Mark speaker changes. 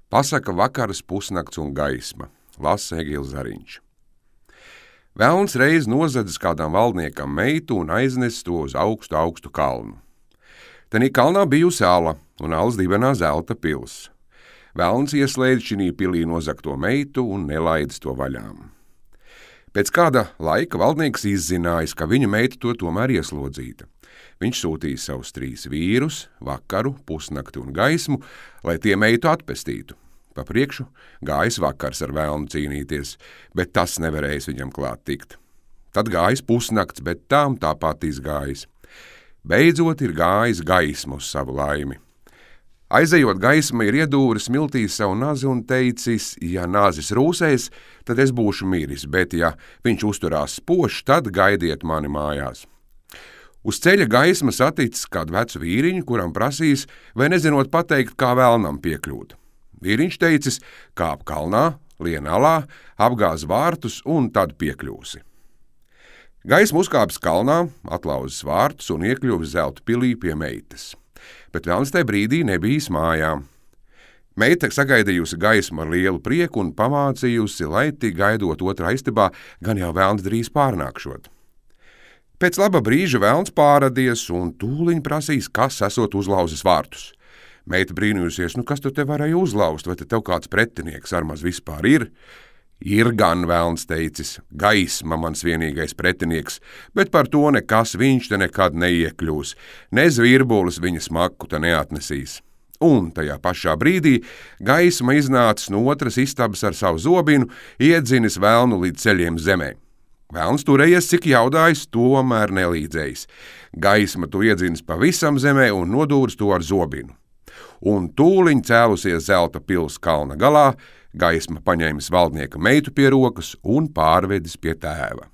Speaker 1: Pasaka vakaras, pusnakts un gaisma, lasa Egils Zariņš. Velns reiz nozadzis kādam valdniekam meitu un aiznesis to uz augstu kalnu. Tenī kalnā bijusi ala, un alas dibenā zelta pils. Velns ieslēdz šinī pilī nozagto meitu un nelaidis to vaļām. Pēc kāda laika valdnieks izzinājis, ka viņa meita to tomēr ieslodzīta. Viņš sūtīja savus 3 vīrus, vakaru, pusnakti un gaismu, lai tie meitu atpestītu. Pa priekšu gājis vakars ar velnu cīnīties, bet tas nevarējis viņam klāt tikt. Tad gājis pusnakts, bet tām tāpat izgājis. Beidzot ir gājis gaismu uz savu laimi. Aizejot, gaisma ir iedūris smiltīs savu nazi un teicis, ja nazis rūsēs, tad es būšu miris, bet ja viņš uzturās spožs, tad gaidiet mani mājās. Uz ceļa gaisma saticis kādu vecu vīriņu, kuram prasīs, vai nezinot pateikt, kā velnam piekļūt. Vīriņš teicis, kāp kalnā, lien alā, apgāz vārtus un tad piekļūsi. Gaisma uzkāpis kalnā, atlauzis vārtus un iekļuvis zelta pilī pie meitas. Bet velns tajā brīdī nebija mājā. Meita sagaidījusi gaismu ar lielu prieku un pamācījusi, lai tik gaidot otrā istabā, gan jau velns drīz pārnākšot. Pēc laba brīža velns pārradies un tūliņ prasīs, kas esot uzlauzis vārtus. Meita brīnījusies, kas tu te varēja uzlauzt, vai te tev kāds pretinieks ar maz vispār ir? Ir gan, velns teicis, gaisma mans vienīgais pretinieks, bet par to nekas viņš te nekad neiekļūs, ne zvirbulis viņa smaku te neatnesīs. Un tajā pašā brīdī gaisma iznācis no otras istabas ar savu zobinu, iedzinis velnu līdz ceļiem zemē. Velns turējies, cik jaudājis, tomēr nelīdzējis. Gaisma to iedzinis pavisam zemē un nodūris to ar zobinu. Un tūliņ cēlusies zelta pils kalna galā, gaisma paņēmis valdnieka meitu pie rokas un pārvedis pie tēva.